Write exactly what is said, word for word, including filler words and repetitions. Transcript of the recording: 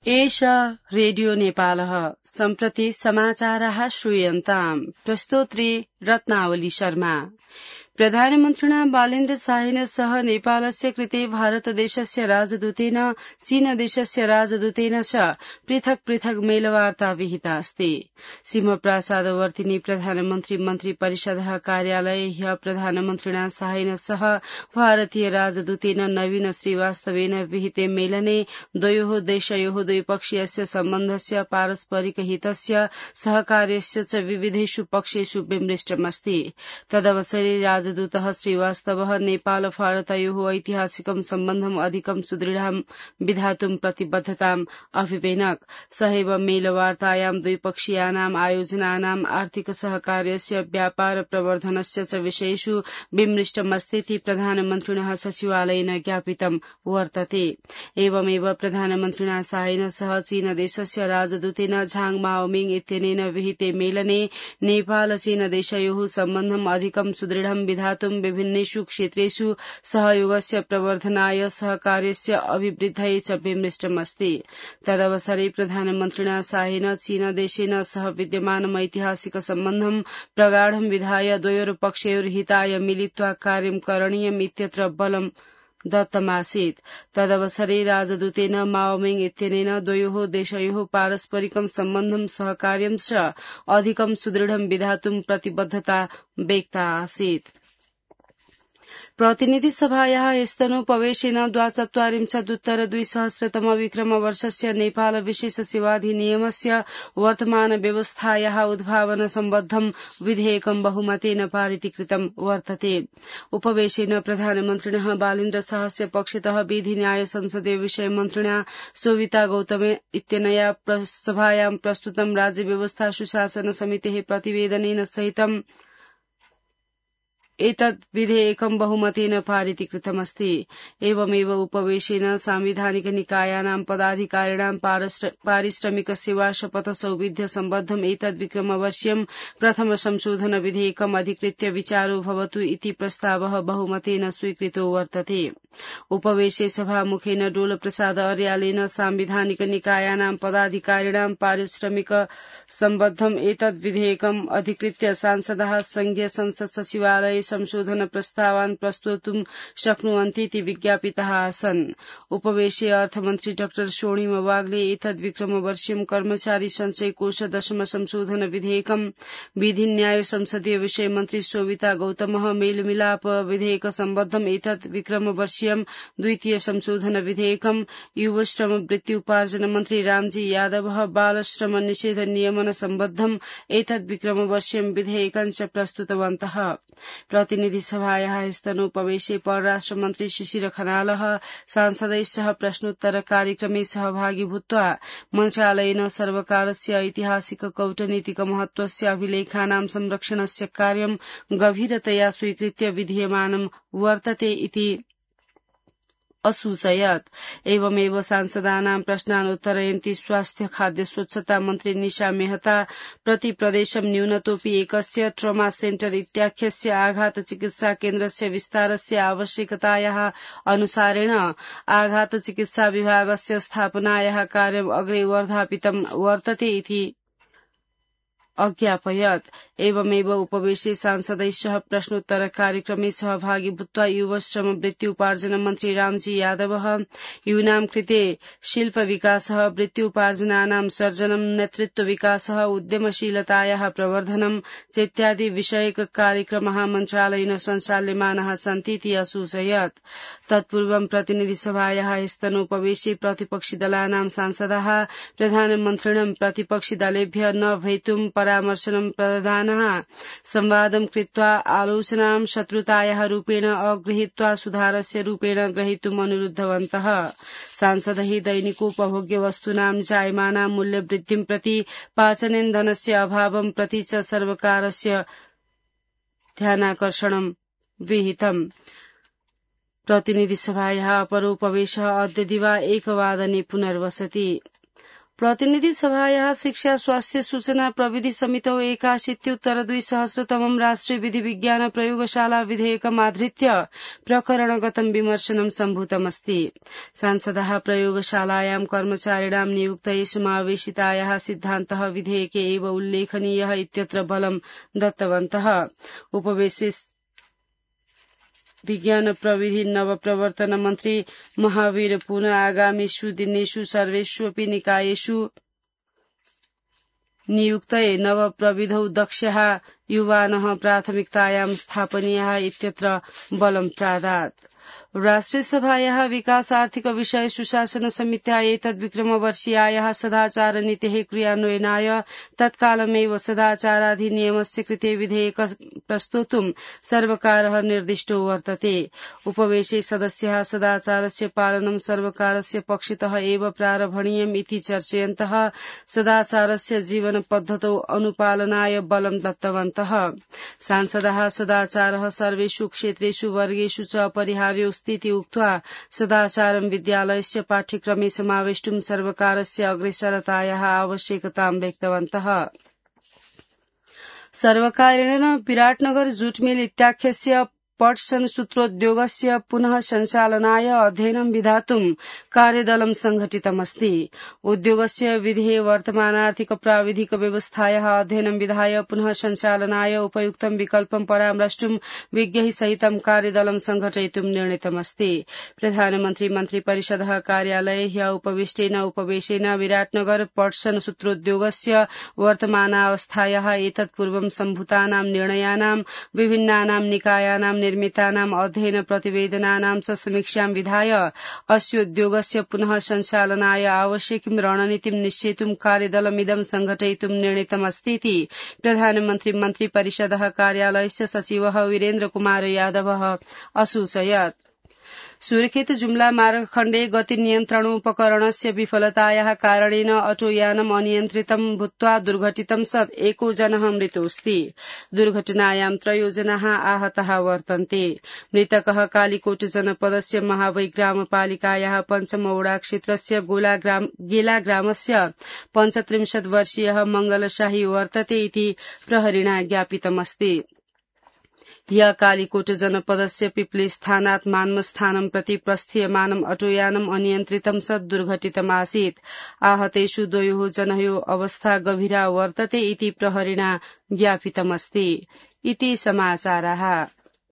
एष रेडियो नेपालः सम्प्रति समाचारः श्रूयन्ताम् प्रस्तोत्री रत्नावली शर्मा। प्रधानमन्त्रिणा बालेन्द्र शाहेन सह नेपालस्य कृते भारतदेशस्य राजदूतेन चीनदेशस्य राजदूतेन च पृथक् पृथक् मेलवार्ता विहिता अस्ति। सिंहप्रासादवर्तिनी प्रधानमन्त्री मन्त्री परिषदः कार्यालये ह्यः प्रधानमन्त्रिणा शाहेन सह भारतीय राजदूतेन नवीन श्रीवास्तवेन विहिते मेलने द्वयोः देशयोः द्विपक्षीयस्य सम्बन्धस्य पारस्परिक हितस्य सहकार्यस्य च विविधेषु पक्षेषु विमृष्टमस्ति। तदवसरे राजदूतः श्रीवास्तवः नेपाल भारतयोः ऐतिहासिकं सम्बन्धम् अधिकं सुदृढं विधातुं प्रतिबद्धताम् अभिवेनक। सहैव मेलवार्तायां द्विपक्षीयानाम् आयोजनानाम् आर्थिक सहकार्यस्य व्यापार प्रवर्धनस्य च विषयेषु विमृष्टमस्तीति प्रधानमन्त्रिणः सचिवालयेन ज्ञापितं वर्तते। एवमेव प्रधानमन्त्रिणा शाहेन सह चीनदेशस्य राजदूतेन झाङ माओमिङ इत्यनेन विहिते मेलने नेपाल चीनदेशयोः सम्बन्धम् अधिकं सुदृढं विधातुं विभिन्नेषु क्षेत्रेषु सहयोगस्य प्रवर्धनाय सहकार्यस्य अभिवृद्धये च विमृष्टमस्ति। तदवसरे प्रधानमन्त्रिणा शाहेन चीनदेशेन सह विद्यमानम् ऐतिहासिक सम्बन्धं प्रगाढं विधाय द्वयोर्पक्षयोर्हिताय मिलित्वा कार्यं करणीयम् इत्यत्र बलं दत्तमासीत्। तदवसरे राजदूतेन माओमिङ इत्यनेन द्वयोः देशयोः पारस्परिकं सम्बन्धं सहकार्यं च अधिकं सुदृढं विधातुं प्रतिबद्धता व्यक्ता आसीत्। प्रतिनिधि सभायाः स्तनोपवेशेन द्वाचत्वारिंशदुत्तर द्विसहस्रतम विक्रमवर्षस्य नेपाल विशेष सेवाधिनियमस्य वर्तमान व्यवस्थायाः उद्भावन सम्बद्धं विधेयकं बहुमतेन पारितीकृतं वर्तते। उपवेशेन प्रधानमन्त्रिणः बालेन्द्र शाहस्य पक्षतः विधि न्याय संसदीय विषय मन्त्रिणा शोभिता गौतम इत्यनया सभायां प्रस्तुतं राज्य व्यवस्था सुशासन समितेः प्रतिवेदनेन सहितं एतद् विधेयकं बहुमतेन पारितीकृतमस्ति। एवमेव उपवेशेन सांविधानिक निकायानां पदाधिकारिणां पारिश्रमिक सेवा शपथ सौविध्य सम्बद्धम् एतद् विक्रमवर्षीयं प्रथम संशोधन विधेयकम् अधिकृत्य विचारो भवतु इति प्रस्तावः बहुमतेन स्वीकृतो वर्तते। उपवेशे सभामुखेन डोल प्रसाद अर्यालेन सांविधानिक निकायानां पदाधिकारिणां पारिश्रमिक सम्बद्धम् एतद् विधेयकम् अधिकृत्य सांसदः संघीय संसद सचिवालय संशोधन प्रस्तावान् प्रस्तोतुं शक्नुवन्तीति विज्ञापिताः आसन्। उपवेशे अर्थमन्त्री डाक्टर स्वर्णिम वाग्ले एतद् विक्रमवर्षीयं कर्मचारी सञ्चय कोष दशम संशोधन विधेयकम् विधि न्याय संसदीय विषय मन्त्री शोभिता गौतमः मेलमिलाप विधेयक सम्बद्धम् एतद् विक्रमवर्षीयं द्वितीय संशोधन विधेयकम् युवश्रम वृत्ति उपार्जन मन्त्री रामजी यादवः बालश्रम निषेध नियमन सम्बद्धम् एतद् विक्रमवर्षीयं विधेयकं च प्रस्तुतवन्तः। प्रतिनिधि सभायाः स्तनोपवेशे परराष्ट्र मन्त्री शिशिर खनालः सांसदैः सह प्रश्नोत्तर कार्यक्रमे सहभागी भूत्वा मन्त्रालयेन सर्वकारस्य ऐतिहासिक कौटनीतिक महत्वस्य अभिलेखानां संरक्षणस्य कार्यं गभीरतया स्वीकृत्य विधीयमानं वर्तते इति असूचयत्। एवमेव सांसदानां प्रश्नान् उत्तरयन्ती स्वास्थ्य खाद्य स्वच्छता मन्त्री निशा मेहता प्रति प्रदेशं न्यूनतोऽपि एकस्य ट्रमा सेन्टर इत्याख्यस्य आघात चिकित्सा केन्द्रस्य विस्तारस्य आवश्यकतायाः अनुसारेण आघात चिकित्सा विभागस्य स्थापनायाः कार्यम् अग्रे वर्धापितं वर्तते इति अज्ञापयत्। एवमेव उपवेशे सांसदैः सह प्रश्नोत्तर कार्यक्रमे सहभागी भूत्वा युवश्रम वृत्ति उपार्जन मन्त्री रामजी यादवः यूनां कृते शिल्प विकासः वृत्ति उपार्जनानां सर्जनं नेतृत्व विकासः उद्यमशीलतायाः प्रवर्धनं चेत्यादि विषयक कार्यक्रमः मन्त्रालयेन सञ्चाल्यमानाः सन्तीति असूचयत्। तत्पूर्वं प्रतिनिधि सभायाः स्तनोपवेशे प्रतिपक्षि दलानां सांसदाः प्रधानमन्त्रिणं प्रतिपक्षि दलेभ्यः न भवितुं परामर्शनं प्रददानः संवादं कृत्वा आलोचनां शत्रुतायाः रूपेण अगृहीत्वा सुधारस्य रूपेण ग्रहीतुम् अनुरुद्धवन्तः। सांसदैः दैनिकोपभोग्य वस्तूनां जायमानां मूल्यवृद्धिं प्रति पाचनेन्धनस्य अभावं प्रति च सर्वकारस्य ध्यानाकर्षणं विहितम्। प्रतिनिधि सभायाः अपरोपवेशः अद्य दिवा एकवादने पुनर्वसति। प्रतिनिधि सभायाः शिक्षा स्वास्थ्य सूचना प्रविधि समितौ एकाशीत्युत्तर द्विसहस्रतमं राष्ट्रिय विधि विज्ञान प्रयोगशाला विधेयकमाधृत्य प्रकरणगतं विमर्शनं सम्भूतमस्ति। सांसदाः प्रयोगशालायां कर्मचारिणां नियुक्तये समावेशितायाः सिद्धान्तः विधेयके एव उल्लेखनीयः इत्यत्र बलं दत्तवन्तः। उपवेशे विज्ञान प्रविधि नवप्रवर्तन मन्त्री महावीर पुनः आगामीषु दिनेषु सर्वेष्वपि निकायेषु नियुक्तये नवप्रविधौ दक्षाः युवानः प्राथमिकतायां स्थापनीयाः इत्यत्र बलं प्रादात्। राष्ट्रिय सभायाः विकास आर्थिक विषय सुशासन समित्या एतद्विक्रमवर्षीयायाः सदाचार नीतेः क्रियान्वयनाय तत्कालमेव सदाचाराधिनियमस्य कृते विधेयक प्रस्तोतुं सर्वकारः निर्दिष्टो वर्तते। उपवेशे सदस्याः सदाचारस्य पालनं सर्वकारस्य पक्षतः एव प्रारभणीयम् इति चर्चयन्तः सदाचारस्य जीवन पद्धतौ अनुपालनाय बलं दत्तवन्तः। सांसदाः सदाचारः सर्वेषु क्षेत्रेषु वर्गेषु च अपरिहार्यो स्थिति उक्त्वा सदाचारं विद्यालयस्य पाठ्यक्रमे समावेष्टुं सर्वकारस्य अग्रेसरतायाः आवश्यकतां व्यक्तवन्तः। सर्वकारेण विराटनगर जूट मिल इत्याख्यस्य पटसन सूत्रोद्योगस्य पुनः संचालनाय अध्ययनं विधातुं कार्यदलं संघटितमस्ति। उद्योगस्य विधेः वर्तमानार्थिक प्राविधिक व्यवस्थायाः अध्ययनं विधाय पुनः संचालनाय उपयुक्तं विकल्पं परामर्ष्टुं विज्ञैः सहितं कार्यदलं संघटयितुं निर्णीतमस्ति। प्रधानमन्त्री मन्त्रिपरिषदः कार्यालये ह्यः उपविष्टेन उपवेशेन विराटनगर पटसन सूत्रोद्योगस्य वर्तमानावस्थायाः एतत्पूर्वं सम्भूतानां निर्णयानां विभिन्नानां निकायानां निर्मितानाम् अध्ययन प्रतिवेदनानां च समीक्षां विधाय अस्योद्योगस्य पुनः संचालनाय आवश्यकीं रणनीतिं निश्चेतुं कार्यदलमिदं संघटयितुं निर्णीतमस्तीति प्रधानमन्त्री मन्त्रिपरिषदः कार्यालयस्य सचिवः वीरेन्द्र कुमार यादवः असूचयत्। सुर्खेत जुम्ला मार्गखण्डे गति नियन्त्रणोपकरणस्य विफलतायाः कारणेन अटोयानम् अनियन्त्रितं भूत्वा दुर्घटितं सत् एको जनः मृतोऽस्ति। दुर्घटनायां त्रयो जनाः आहताः वर्तन्ते। मृतकः कालीकोट जनपदस्य महावै ग्रामपालिकायाः पञ्चमवडा क्षेत्रस्य गेला ग्रामस्य पञ्चत्रिंशत् वर्षीयः मंगलशाही वर्तते इति प्रहरिणा ज्ञापितमस्ति। ह्यः कालीकोट जनपदस्य पिप्लिस्थानात् मान्मस्थानं प्रति प्रस्थीयमानम् अटोयानम् अनियन्त्रितं सत् दुर्घटितमासीत्। आहतेषु द्वयोः जनयोः अवस्था गभीरा वर्तते इति प्रहरिणा ज्ञापितमस्ति। इति समाचाराः।